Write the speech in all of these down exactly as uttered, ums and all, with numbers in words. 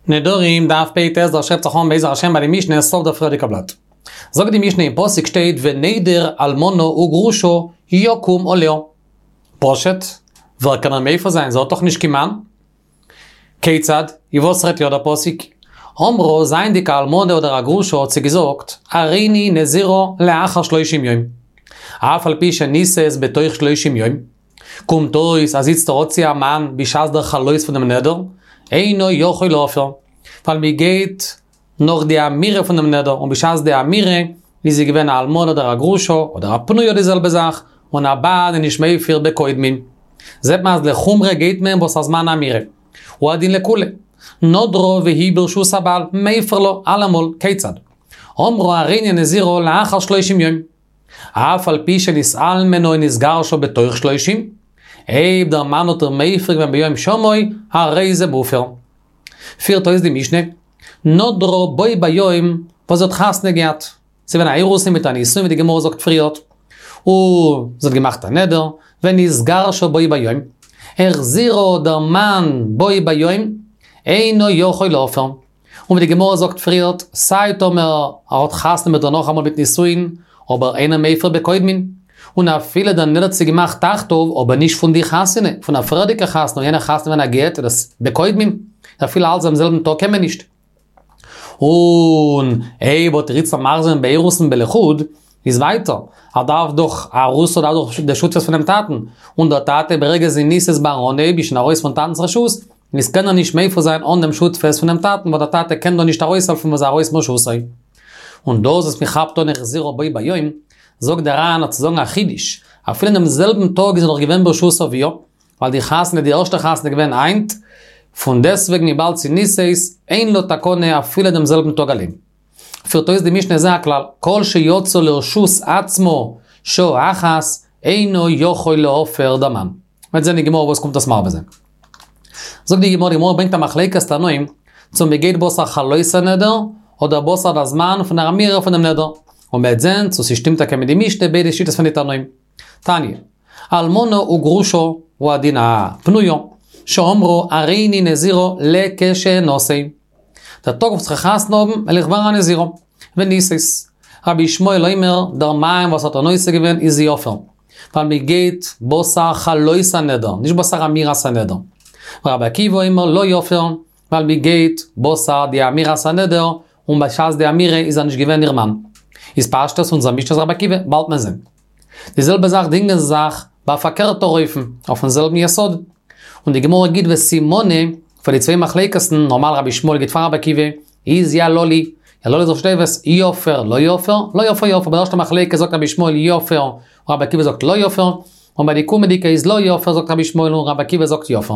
נדרים, דף פ"ט, דער שרייבט זיך אן בעזר השם ביי די משנה, סוף דער פריערדיגע בלאט. זאגט די משנה אין פסוק שטייט ונדר אלמנה וגרושה יקום עליה. פשוט, ווער קען איר מפר זיין, זי האט דאך נישט קיין מאן. כיצד? איז וואס רעדט יא דער פסוק? אמרה, זייענדיג א אלמנה אדער א גרושה האט זי געזאגט, הריני נזירה לאחר שלושים יום. אף על פי שנישאת בתוך שלושים יום. קומט אויס אז איצטער האט זי א מאן בשעת דער חלות פון דעם נדר, אינו יכול להפר. ווייל מען גייט נאך די אמירה פון דעם נדר, און בשעת די אמירה איז זי געווען א אלמנה אדער א גרושה, אדער א פנויה די זעלבע זאך, און א בעל איז נישט מפר בקודמין. זעט מען אז לחומרא גייט מען בתר זמן האמירה. הוא הדין לקולא. נדרה והיא ברשות הבעל, מפר לה אלעמאל, כיצד? אמרה הריני נזירה לאחר שלושים יום. אף על פי שנתאלמנה או נתגרשה בתוך שלושים, אויב דער מאן האט איר מפר געווען ביום שמעו, הרי זה מופר. פירט אויס די משנה, נדרה בו ביום וואס זי האט חתונה געהאט. ס'איז געווען א אירוסין מיט א נישואין ווי די גמרא זאגט פריערט. און זי האט געמאכט א נדר, ונתגרשה בו ביום. החזירה דער מאן בו ביום, אינו יכול להפר. און ווי די גמרא זאגט פריערט, סיי טאמער ער האט חתונה מיט איר נאכאמאל מיט נישואין, אבער אינו מפר בקודמין. און אפילו דער נדר האט זי געמאכט תחתיו, אבער נישט פון די חתונה, פון א פריערדיגע חתונה, און יענע חתונה געווען א גט, איז דאס בקודמין. אפילו אלץ דעם זעלבן טאג קען מען נישט. און אויב האט ער איצטער מחזיר געווען באירוסין בלחוד, איז ווייטער, ער דארף דאך, א ארוסה דארף דאך די שותפות פונעם טאטן, און דער טאטע ברגע זי נישאת ביים אנהייב איז שוין ארויס פון טאטנ'ס רשות, איז קען ער נישט מפר זיין אן דעם שותפות פונעם טאטן, ווייל דער טאטע קען דא נישט ארויסהעלפן וואס איז ארויס מרשותו. און דאס וואס מען כאפט אן החזירה בו ביום, זאגט דער ר"ן אז צו זאגן א חידוש, אפילו אין דעם זעלבן טאג איז ער נאך געווען ברשות אביה, ווייל די חתונה, די ערשטע חתונה איז געווען היינט, פון דעסטוועגן וויבאלד ס'איז נישאת, אין לה תקנה אפילו דעם זעלבן טאג אליין. פירט אויס די משנה זה הכלל, כל שיצאה לרשות עצמה שעה אחת, אינו יכול להפר דער מאן. מ'וועט זען אין גמרא וואס קומט דאס מרבה זיין. זאגט די גמרא, די גמרא ברענגט א מחלוקת תנאים, צו מ'גייט בתר חלות הנדר, אדער בתר דער זמן פון דער אמירה פונעם נדר. און מ'וועט זען צו ס'שטימט טאקע מיט די משנה ביידע שיטות פון די תנאים. תניא, אלמנה וגרושה הוא הדין א פנויה, שאמרו הריני נזירה לכשאנשא. דער טאג וואס כ'וועל חתונה האבן וועל איך ווערן א נזירה. ונישאת. רבי ישמעאל אומר, דער מאן וואס האט איר נושא געווען איז יפר. ווייל מען גייט בתר חלות הנדר, נישט בתר אמירת הנדר. ורבי עקיבא אומר לא יפר, ווייל מען גייט בתר די אמירת הנדר, און בשעת די אמירה איז ער נישט געווען איר מאן. איז פשטות אונזער משנה איז רבי עקיבא, באלד מען זען. די זעלבע זאך דינגען זיך ביי א פארקערטער אופן, אויפן זעלבן יסוד. און די גמרא גיט וסימנא פאר די צוויי מחלוקת'ן, נארמאל רבי ישמעאל גייט פאר רבי עקיבא, איז יללי, יללי איז ראשי תיבות, יפר לא יפר, לא יפר יפר, ביי די ערשטע מחלוקת זאגט רבי ישמעאל יפר, און רבי עקיבא זאגט לא יפר, און ביי די קומענדיגע איז לא יפר זאגט רבי ישמעאל און רבי עקיבא זאגט יפר.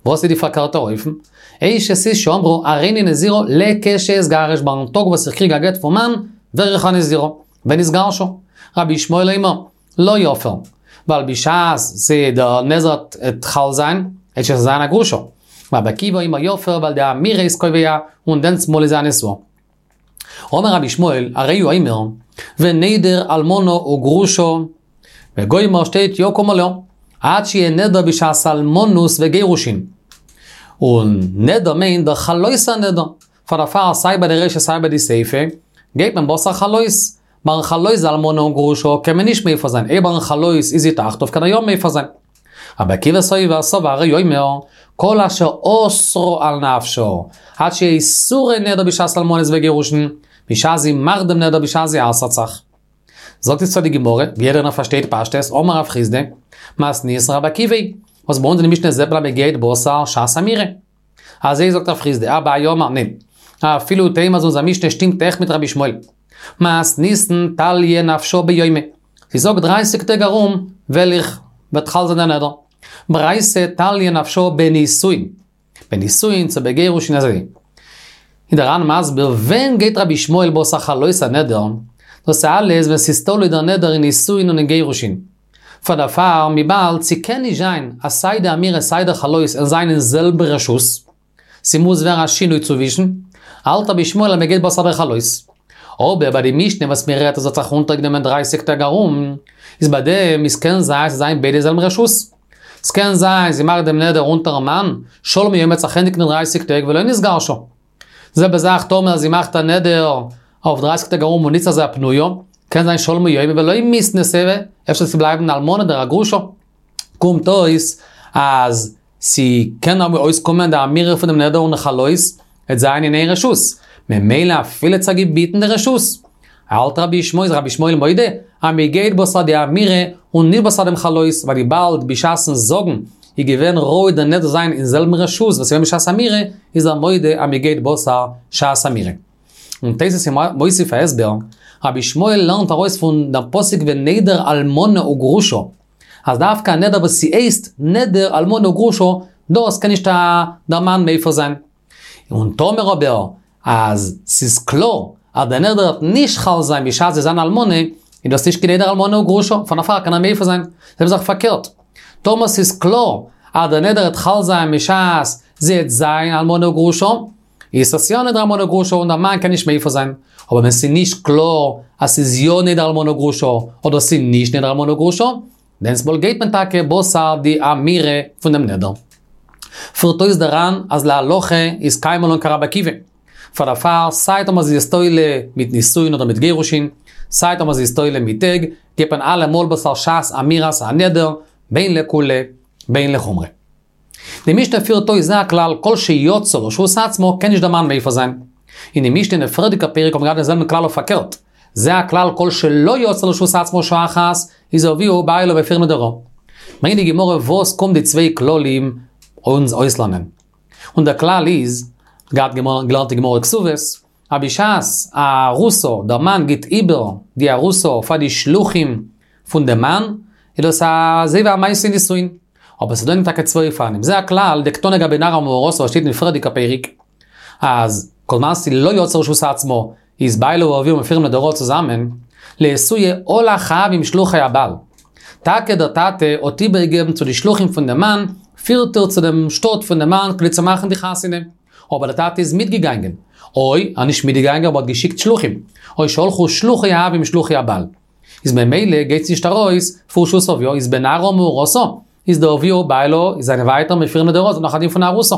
וואס איז די פארקערטע אופן? אשת איש שאמרה הריני נזירה לכשאתגרש ביים טאג וואס איך קריג א גט פון מאן, ווער איך א נזירה. ונתגרשה. רבי ישמעאל אומר, לא יפר. ווייל בשעת ס' דער נזר וועט חל זיין, וועט שוין זיין א גרושה. רבי עקיבא אומר יפר ווייל די אמירה איז קובע און דענסמאל איז זי א נשואה. אמר רבי ישמעאל, הרי הוא אומר, ונדר אלמנה וגרושה, וגומר שטייט יקום עליה, עד שיהיה נדר בשעת אלמנות וגירושין. און נדר מיינט דער חלות הנדר. פאר דערפאר סיי ביי די רישא סיי ביי די סיפא, גייט מען בתר חלות. ביים חלות די אלמנה און גרושה קען מען נישט מפר זיין, אויב ביים חלות איז זי תחתיו קען ער יא מפר זיין. רבי עקיבא סובר סבר הרי הוא אומר, כל אשר אסרה על נפשה, עד שיהיה איסורי נדר בשעת אלמנות וגירושין, בשעת זי מאכט דעם נדר בשעת זי אסר'ט זיך. זאגט איצטער די גמרא, ווי יעדער איינער פארשטייט פשטות, אמר רב חסדא, מתניתין רבי עקיבא היא, וואס ביי אונז אין די משנה זעט מען אז מען גייט בתר שעת אמירה. אזוי זאגט רב חסדא, אביי אמר, ניין. אפילו תימא אז אונזער משנה שטימט עכט מיט רבי ישמעאל. מתניתין תליא נפשה ביומיה. זי זאגט דרייסיג טעג ארום וועל איך וועט חל זיין דער נדר. ברייתא תליא נפשה בנישואין. בנישואין צו בגירושין אזוי. איז דער ר"ן מסביר ווען גייט רבי ישמעאל בתר חלות הנדר, דאס איז אלעס ווען ס'איז תלוי דער נדר אין נישואין און אין גירושין. פאר דערפאר וויבאלד ס'קען נישט זיין אז סיי די אמירה סיי דער חלות זאלן זיין אין זעלבע רשות, ס'מוז ווערן א שינוי צווישן, האלט רבי ישמעאל אז מ'גייט בתר דער חלות. אבער ביי די משנה וואס מ'רעדט אז זי האט זיך אונטערגענומען דרייסיג טעג ארום, איז ביי דעם איז קען זיין ס'זאל זיין ביידע זעלבן רשות. ס'קען זיין זי מאכט דעם נדר אונטערן מאן, שלמו יום וועט זיך ענדיגן אין דרייסיג טעג ולא נתגרשה. זעלבע זאך טאמער זי מאכט א נדר אויף דרייסיג טעג ארום און איצט איז זי א פנויה, קען זיין שלמו יומי ולא מיתנתא, אפשר זי בלייבן אלמנה אדער א גרושה. קומט אויס אז ס'קען אבער אויסקומען די אמירה פון דעם נדר און חלות וועט זיין אין איין רשות, ממילא אפילו צו געביטן די רשות. האלט רבי ישמעאל, איז רבי ישמעאל מודה אז מ'גייט בתר די אמירה און נישט בתר דעם חלות, ווייל וויבאלד בשעת'ן זאגן איז געווען ראוי דער נדר זיין אין זעלבן רשות וואס איז געווען בשעת אמירה, איז ער מודה אז מ'גייט בתר שעת אמירה. און תוס' איז מוסיף א הסבר, רבי ישמעאל לערנט ארויס פון דעם פסוק ונדר אלמנה וגרושה, אז דווקא א נדר וואס ס'הייסט נדר אלמנה וגרושה, דאס קען נישט דער מאן מפר זיין. און טאמער אבער אז ס'איז קלאר אז דער נדר וועט נישט חל זיין בשעת זי איז אן אלמנה, איז דאס נישט קיין נדר אלמנה וגרושה, פאר דערפאר קען ער מפר זיין. זעלבע זאך פארקערט, טאמער ס'איז קלאר אז דער נדר וועט חל זיין בשעת זי וועט זיין אלמנה וגרושה, איז עס יא נדר אלמנה וגרושה און דער מאן קען נישט מפר זיין. אבער ווען ס'איז נישט קלאר אז ס'איז יא נדר אלמנה וגרושה אדער ס'איז נישט נדר אלמנה וגרושה, דענסמאל גייט מען טאקע בתר די אמירה פון דעם נדר. פירט אויס דער ר"ן אז להלכה איז קיימא לן כרבי עקיבא. פאר דערפאר סיי טאמער זי איז תולה מיט נישואין אדער מיט גירושין, סיי טאמער זי איז תולה מיט טעג, גייט מען אלעמאל בתר שעת אמירת הנדר, בין לקולא בין לחומרא. די משנה פירט אויס זה הכלל כל שיצאה לרשות עצמה קען נישט דער מאן מפר זיין. אין די משנה אין די פריערדיגע פרק האבן מיר געהאט דעם זעלבן כלל אויף פארקערט, זה הכלל כל שלא יצאה לרשות עצמה שעה אחת איז אביה ובעלה מפירין נדריה. ברענגט די גמרא וואס קומט די צוויי כללים אונז אויסלערנען. און דער כלל איז, געהאט געלערנט אין גמרא כתובות, אז בשעת א ארוסה, דער מאן גיט איבער די ארוסה פאר די שלוחים פון דעם מאן, איז דאס אזוי ווי א מעשה נישואין. אבער ס'איז דא אין טאקע צוויי אופנים. זה הכלל, דקתני גבי נערה ומאורסה וואס שטייט אין פריערדיגע פרק, אז כל זמן ס'איז לא יצאה לרשות עצמה, איז בעלה ואביה מפירים נדריה צוזאמען, לאתויי הלך האב עם שלוחי הבעל. טאקע דער טאטע האט איבערגעגעבן צו די שלוחים פון דעם מאן, פירט איר צו דעם שטאט פון דעם מאן כדי צו מאכן די חתונה. אבער דער טאטע איז מיטגעגאנגען. או, ער נישט מיטגעגאנגען אבער האט געשיקט שלוחים. או שהלכו שלוחי האב עם שלוחי הבעל. איז ממילא גייט נישט ארויס פון רשות אביה, איז בנערה ומאורסה, איז דער אביה ובעלה זענען ווייטער מפירים נדריה, ס'איז נאך א דין פון ארוסה.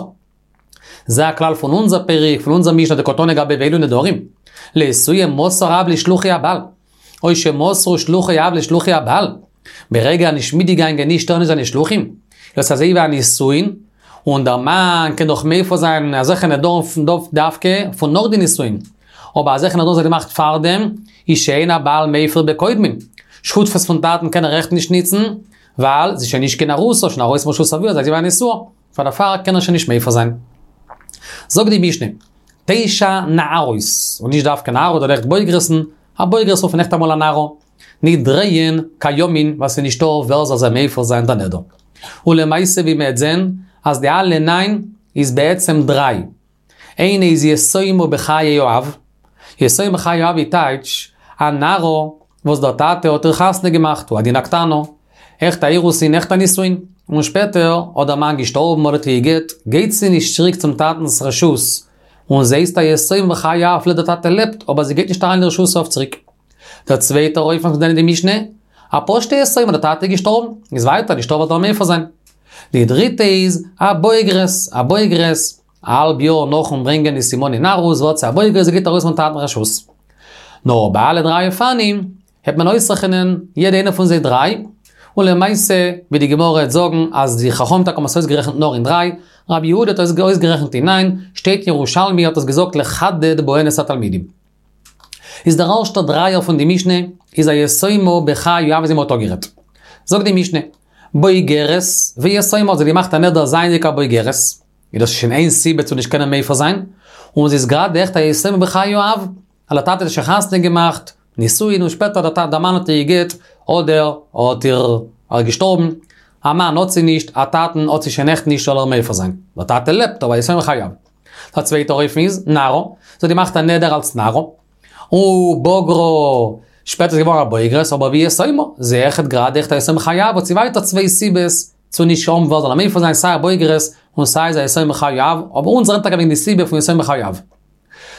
זה הכלל פון אונזער פרק, פון אונזער משנה דקתני גבי ואלו נדרים. לאתויי מסר האב לשלוחי הבעל. או שמסרו שלוחי האב לשלוחי הבעל. ברגע נישט מיטגעגאנגען נישט ער נישט זיינע שלוחים. דאס אזוי ווי א נישואין, און דער מאן קען דאך מפר זיין אזעלכע נדרים פון דווקא פון נאך די נישואין. אבער אזעלכע נדרים וואס ער האט געמאכט פארדעם, איז שאין הבעל מפר בקודמין. שותפות פון טאטן קען ער עכט נישט ניצן, ווייל זי איז שוין נישט קיין ארוסה, שוין ארויס מרשות אביה, אזוי ווי א נשואה. פאר דערפאר קען ער שוין נישט מפר זיין. זאגט די משנה, תשע נערות, און נישט דווקא נערות, אדער עכט בוגרת'ן, א בוגרת רופט מען עכט אמאל א נערה, נדריהן קיימין ווייל ס'איז נישטא ווער זאל זיי מפר זיין דער נדר. ולמעשה ווי מ'עט זען אז די אלע ניין איז בעצם דריי. איינע איז יתומה בחיי האב, יתומה בחיי האב איז טייטש א נערה וואס דער טאטע האט איר חתונה געמאכט, הוא הדין א קטנה, עכט א אירוסין עכט א נישואין, און שפעטער האט דער מאן געשטארבן אדער האט איר גע'גט, גייט זי נישט צוריק צום טאטנ'ס רשות, און זי הייסט א יתומה בחיי האב אפילו דער טאטע לעבט, אבער זי גייט נישט אריין אין רשות אב צוריק. דער צווייטער אופן וואס מיר זעען אין די משנה, א פשוטע יתומה דער טאטע איז געשטארבן, איז ווייטער נישטא ווער זאל מפר זיין. די דריטע איז א בוגרת, א בוגרת, א האלב יאר נאכן ברענגען די סימני נערות ווערט זי א בוגרת זי גייט ארויס פון טאטן רשות. נאר ביי אלע דריי אופנים העט מען אויסרעכענען יעדע איינע פון זיי דריי, און למעשה ווי די גמרא העט זאגן אז די חכמים טאקע האבן עס אויסגערעכנט נאר אין דריי, רבי יהודה האט עס אויסגערעכנט אין ניין, שטייט אין ירושלמי האט עס געזאגט לחדד בהן את התלמידים. איז דער ערשטער דרייער פון די משנה איז א יתומה בחיי האב ווי מ'האט אפגערעדט. זאגט די משנה, בוגרת ויתומה האט זי געמאכט א נדר זייענדיג א בוגרת, איז דאס שוין איין סיבה צו נישט קענען מפר זיין, און זי איז גראדע עכט א יתומה בחיי האב, ווייל דער טאטע האט שוין חתונה געמאכט, נישואין און שפעטער דער דער מאן האט איר גע'גט, אדער האט איר ער געשטארבן, א מאן האט זי נישט, א טאטן האט זי שוין עכט נישט זאל ער מפר זיין. דער טאטע לעבט אבער יתומה בחיי האב. דער צווייטער אופן איז, נערה, זי האט געמאכט א נדר אלס נערה, ובגרה, שפעטער איז געווארן א בוגרת, אבער ויתומה, זי איז עכט גראדע עכט א יתומה בחיי האב, האט זי ווייטער צוויי סיבות צו נישט האבן ווער זאל איר מפר זיין, סיי א בוגרת און סיי איז א יתומה בחיי האב, אבער אונז רעדן טאקע וועגן די סיבה פון יתומה בחיי האב.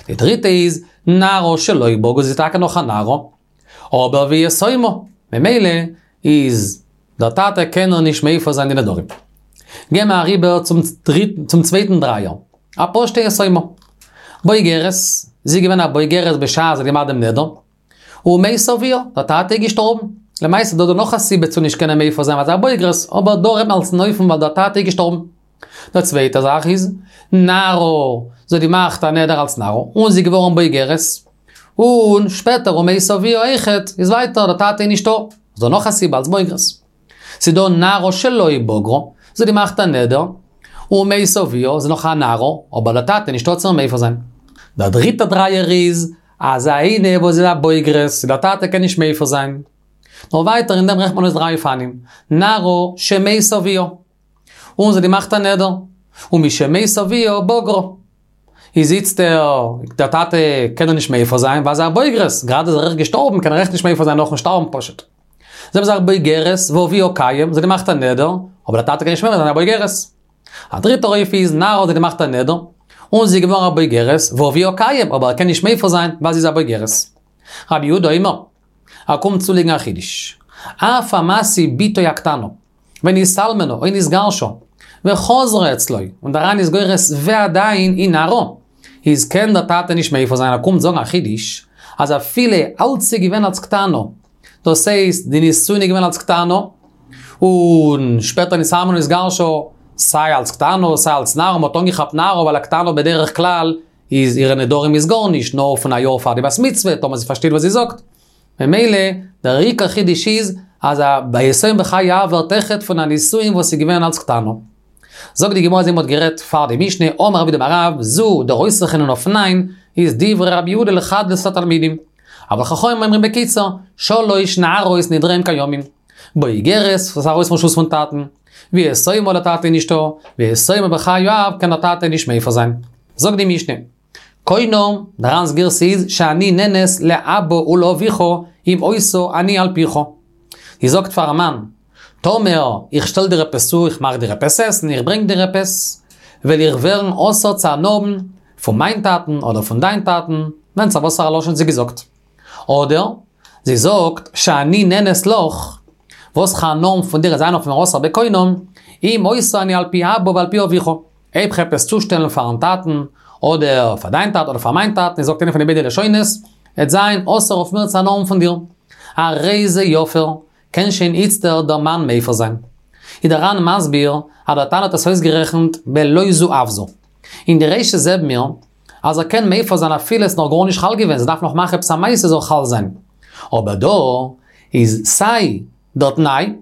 די דריטע איז, נערה שלא בגרה, זי איז טאקע נאך א נערה, אבער ויתומה, ממילא איז דער טאטע קען איר נישט מפר זיין די נדרים. גייען מיר אריבער צום צווייטן דרייער, א פשוטע יתומה. בוגרת, זי איז געווען א בוגרת בשעת זי האט געמאכט דעם נדר, ומת אביה, דער טאטע איז געשטארבן. למעשה איז דא דא נאך א סיבה צו נישט קענען מפר זיין ווייל זי איז א בוגרת, אבער דא רעדט מען אלס אן אופן ווייל דער טאטע איז געשטארבן. דער צווייטע זאך איז, נערה, זי האט געמאכט א נדר אלס נערה, און זי איז געווארן בוגרת, און שפעטער ומת אביה אויכעט, איז ווייטער דער טאטע איז נישטא, איז דא נאך א סיבה אלס בוגרת. ס'איז דא נערה שלא בגרה, זי האט געמאכט א נדר, ומת אביה, זי איז נאך א נערה, אבער דער טאטע איז נישטא צו מפר זיין. דער דריטער דרייער איז, אז איינע וואס איז א בוגרת, דער טאטע קען נישט מפר זיין. נאר ווייטער אין דעם רעכנט מען אויס דריי אופנים, נערה שמת אביה, און זי האט געמאכט א נדר, ומשמת אביה בגרה. איז איצטער, דער טאטע קען איר נישט מפר זיין, ווייל זי איז א בוגרת, גראדע איז ער אויך געשטארבן, קען ער אויך נישט מפר זיין נאכן שטארבן פשוט. זעלבע זאך בוגרת ואביה קיים, זי האט געמאכט א נדר, אבער דער טאטע קען נישט מפר זיין א בוגרת. א דריטער אופן איז נערה זי האט געמאכט א נדר, און זי איז געווארן א בוגרת, ואביה קיים, אבער ער קען נישט מפר זיין ווייל זי איז א בוגרת. רבי יהודה אומר, ער קומט צולייגן א חידוש. אף המשיא בתו הקטנה, ונתאלמנה או נתגרשה, וחזרה אצלו, און דער ר"ן איז גורס ועדיין היא נערה, איז קען דער טאטע נישט מפר זיין, ער קומט זאגן א חידוש, אז אפילו אלץ איז געווען אלס קטנה, דאס הייסט די נישואין איז געווען אלס קטנה, און שפעטער נתאלמנה נתגרשה, סיי אלס קטנה סיי אלס נערה, מ'האט אנגעכאפט נערה ווייל א קטנה בדרך כלל איז אירע נדרים איז גארנישט, נאר פון א יאר פאר די בת מצוה, טאמער זי פארשטייט וואס זי זאגט. ממילא, דער עיקר חידוש איז, אז א ביי יתום בחיי אב ווערט אויכעט פון א נישואין וואס איז געווען אלס קטנה. זאגט די גמרא אזוי מ'האט גערעדט פאר די משנה, אמר רב יהודה אמר רב, זו דער אויסרעכענען אויף ניין, איז דברי רבי יהודה לחדות את התלמידים. אבל חכמים אומרים בקיצור, שלש נערות נדריהן קיימין. בוגרת, וואס איז ארויס פון רשות פון טאטן, ויתומה דער טאטע איז נישטא, ויתומה בחיי האב קען דער טאטע נישט מפר זיין. זאגט די משנה, קונם, דער ר"ן'ס גירסא איז שאני נהנית לאבא ולאביך אם עושה אני על פיך. זי זאגט פארן מאן, טאמער איך שטעל דיר עפעס צו, איך מאך דיר עפעס עסן, איך ברענג דיר עפעס, וועל איך ווערן אסור צו הנאה האבן פון מיין טאטן אדער פון דיין טאטן, ווענדט זיך וואסארא לשון זי געזאגט. אדער, זי זאגט, שאני נהנית לך, וואס כ'האב הנאה פון דיר וועט זיין אויף מיר אסור בקונם, אם עושה אני על פי אבא ועל פי אביך. אויב כ'וועל עפעס צושטעלן פארן טאטן, אדער פאר דיין טאטן אדער פאר מיין טאטן, זי זאגט איינע פון די ביידע לשונות, עט זיין אסור אויף מיר צו הנאה האבן פון דיר. הרי זה יפר, קען שוין איצטער דער מאן מפר זיין. איז דער ר"ן מסביר אז דער תנא האט עס אויסגערעכנט בלא זו אף זו. אין די רישא זעבן מיר אז ער קען מפר זיין אפילו עס איז נאך גארנישט חל געווען, זי דארף נאך מאכן עפעס א מעשה זאל חל זיין. אבער דא איז סיי דער תנאי,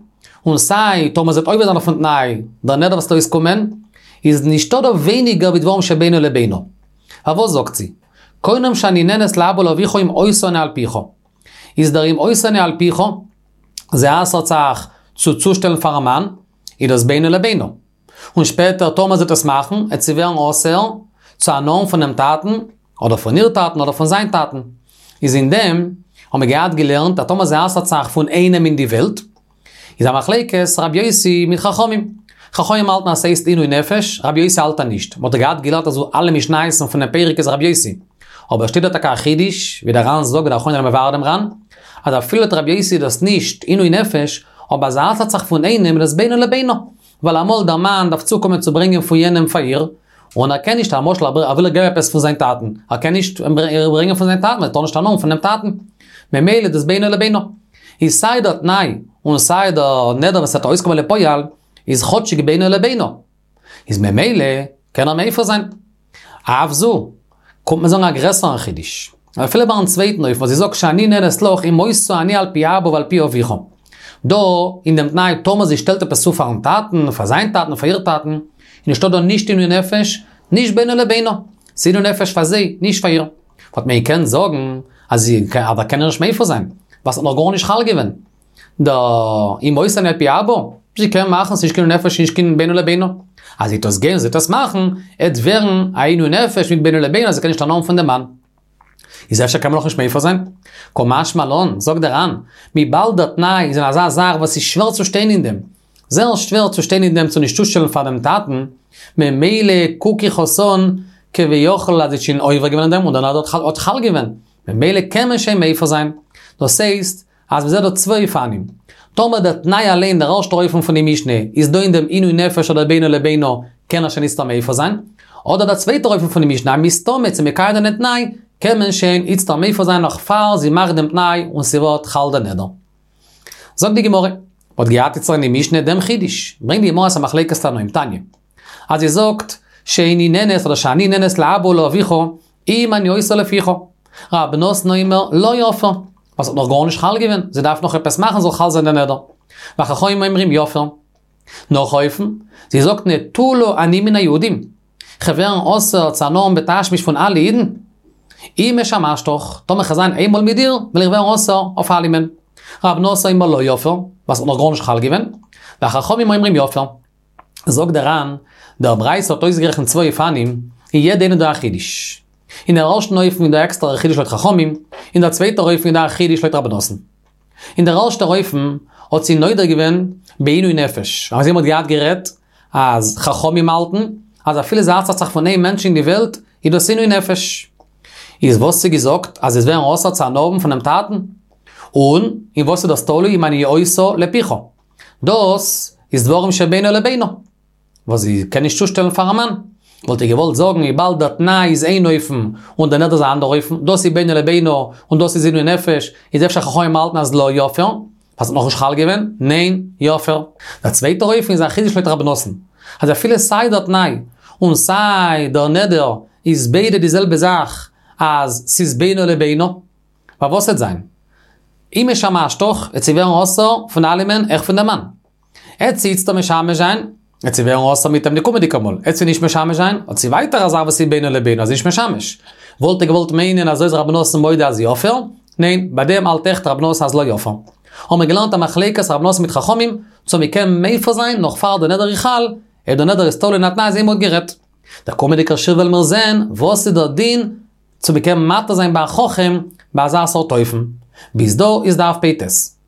און סיי טאמער זי וועט עובר זיין אויפן תנאי, דער נדר וואס וועט אויסקומען, איז נישטא דא ווייניגער ווי דברים שבינו לבינה. פארוואס זאגט זי, קונם שאני נהנית לאבא ולאביך אם עושה אני על פיך. איז דער אם עושה אני על פיך, זי אסר'ט זיך צו צושטעלן פארן מאן, איז דאס בינו לבינה. און שפעטער טאמער זי וועט עס מאכן, עט זי ווערן אסור צו הנאה האבן פונעם טאטן, אדער פון איר טאטן אדער פון זיין טאטן. איז אין דעם האבן מיר געהאט געלערנט אז טאמער זי אסר'ט זיך פון איינעם אין די וועלט, איז א מחלוקת רבי יוסי מיט חכמים. חכמים האלטן אז ס'הייסט עינוי נפש, רבי יוסי האלט אז נישט. מ'האט דאך געהאט געלערנט אז אלע משניות'ן פונעם פרק איז רבי יוסי. אבער שטייט דא טאקע א חידוש, ווי דער ר"ן זאגט ווי דער אחרונים זענען מבאר דעם ר"ן, אז אפילו לויט רבי יוסי איז דאס נישט עינוי נפש, אבער אז זי אסר'ט זיך פון איינעם איז דאס בינו לבינה. ווייל אמאל דער מאן דארף צוקומען צו ברענגען פון יענעם פאר איר, און ער קען נישט, למשל ער וויל איר געבן עפעס פון זיין טאטן, ער קען נישט איר ברענגען פון זיין טאטן, ער טאר נישט הנאה האבן פונעם טאטן. ממילא איז דאס בינו לבינה. איז סיי דער תנאי און סיי דער נדר וואס וועט אויסקומען לפועל, איז כאטשיג בינו לבינה. איז ממילא קען ער מפר זיין. אף זו, קומט מען זאגן א גרעסערן חידוש. אפילו ביים צווייטן אופן וואס זי זאגט שאני נהנית לך אם עושה אני על פי אבא ועל פי אביך. דא, אין דעם תנאי, טאמער זי שטעלט עפעס צו פארן טאטן, פאר זיין טאטן, פאר איר טאטן, איז נישטא דא נישט עינוי נפש, נישט בינו לבינה. ס'איז עינוי נפש פאר זיי, נישט פאר איר. וואלט מען געקענט זאגן אז זי אז ער קען איר נישט מפר זיין, ווייל ס'האט נאך גארנישט חל געווען. דער אם עושה אני על פי אבא, זי קען מאכן, ס'נישט קיין עינוי נפש, נישט קיין בינו לבינה. אז זי וועט עס גיין, זי וועט עס מאכן, עט ווערן א עינוי נפש מיט בינו לבינה, אז זי קען נישט הנאה האבן פון דעם מאן. איז אפשר קען מען נאכנישט מפר זיין? קא משמע לן, זאגט דער ר"ן, וויבאלד דער תנאי איז אין אזא זאך וואס איז שווער צו שטיין אין דעם, זייער שווער צו שטיין אין דעם צו נישט צושטעלן פאר דעם טאטן, ממילא קוק איך עס אן כביכול אז זי האט שוין עובר געווען אין דעם און דער נדר האט חל געווען, ממילא קען מען שוין מפר זיין. דאס הייסט, אז מ'זעט דא צוויי אופנים. טאמער דער תנאי אליין, דער ערשטער אופן פון די משנה, איז דא אין דעם עינוי נפש אדער בינו לבינה, קען ער שוין איצטער מפר זיין. אדער דער צווייטער אופן פון די משנה, מסתמא צו מקיים זיין דעם תנאי, קען מען שוין איצטער מפר זיין נאך פאר זי מאכט דעם תנאי און ס'ווערט חל דער נדר. זאגט די גמרא, מ'האט געהאט איצטער אין די משנה דעם חידוש, ברענגט די גמרא ס'א מחלוקת תנאים, תניא, אז זי זאגט שאיני נהנית אדער שאני נהנית לאבא ולאביך אם אני עושה לפיך, רבי נתן אומר לא יפר, ווייל ס'האט נאך גארנישט חל געווען, זי דארף נאך עפעס מאכן זאל חל זיין דער נדר. וחכמים אומרים יפר. נאך א אופן, זי זאגט נטולה אני מן היהודים, כ'וועל ווערן אסור צו הנאה האבן בתשמיש פון אלע אידן, אם משמשתך, טאמער כ'וועל זיין איינמאל מיט דיר, וועל איך ווערן אסור אויף אלעמען. רבי נתן אומר לא יפר, ווייל ס'האט נאך גארנישט חל געווען. וחכמים אומרים יפר. זאגט דער ר"ן, דער ברייתא האט אויסגערעכנט צוויי אופנים, אין יעדע איינע דא א חידוש. אין דער ערשטן אופן איז דא עקסטערע חידוש לויט חכמים, אין דער צווייטער אופן איז דא א חידוש לויט רבי נתן. אין דער ערשטער אופן האט זי נודר געווען בעינוי נפש, אזוי מ'האט געהאט גערעדט אז חכמים האלטן אז אפילו זי אסר'ט זיך פון איין מענטש אין די וועלט איז דאס עינוי נפש. איז וואס האט זי געזאגט אז זי וועט ווערן אסור צו הנאה האבן פונעם טאטן? און אין וואס איז דאס תלוי אם אני עושה לפיך? דאס איז דברים שבינו לבינה. וואס זי קען נישט צושטעלן פארן מאן. וואלט איך געוואלט זאגן וויבאלד דער תנאי איז איין אופן און דער נדר איז א אנדער אופן, דאס איז בינו לבינה און דאס איז עינוי נפש, איז אפשר חכמים האלטן אז לא יפר, ווייל ס'האט נאכנישט חל געווען, ניין, יפר. דער צווייטער אופן איז א חידוש לויט רבי נתן, אז אפילו סיי דער תנאי און סיי דער נדר איז ביידע די זעלבע זאך אז ס'איז בינו לבינה, ווייל וואס וועט זיין? אם משמשתך, וועט זי ווערן אסור פון אלעמען, אויך פון דעם מאן. עט זי איצטער משמש זיין, עט זי ווערן אסור מיט אים די קומענדיגע מאל, עט זי נישט משמש זיין, האט זי ווייטער א זאך וואס איז בינו לבינה אז זי איז נישט משמש. וואלט איך געוואלט מיינען אזוי איז רבי נתן מודה אז יפר, ניין, ביי דעם האלט עכט רבי נתן אז לא יפר. האבן מיר געלערנט א מחלוקת רבי נתן מיט חכמים, צו מען קען מפר זיין נאך פאר די נדר איז חל, אויב די נדר איז תלוי אין א תנאי אזוי מ'האט גערעדט. דער קומענדיגער שיעור וועלן מיר זען וואס איז דער דין צו מען קען מתיר זיין ביי א חכם ביי אזא סארט אופן. ביז דא איז דף פ"ט.